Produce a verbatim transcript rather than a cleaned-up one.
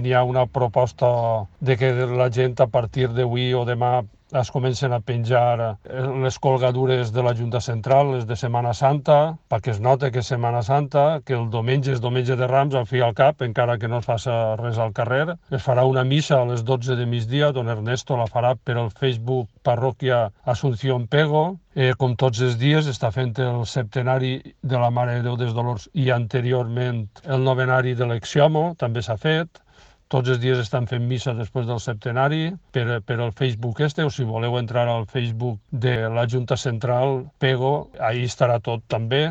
n'hi ha una proposta de que la gent a partir d'avui o demà es comencen a penjar les colgadures de la Junta Central, les de Setmana Santa, perquè es nota que és Setmana Santa, que el diumenge és diumenge de Rams, al fi i al cap, encara que no es faci res al carrer. Es farà una missa a les dotze de migdia, don Ernesto la farà per el Facebook Parròquia Asunción Pego. Eh, com tots els dies està fent el septenari de la Mare de Déu dels Dolors i anteriorment el novenari de l'Exiomo, també s'ha fet. Tots els dies estan fent missa després del septenari per, per el Facebook este, o si voleu entrar al Facebook de la Junta Central Pego, ahí estarà tot també.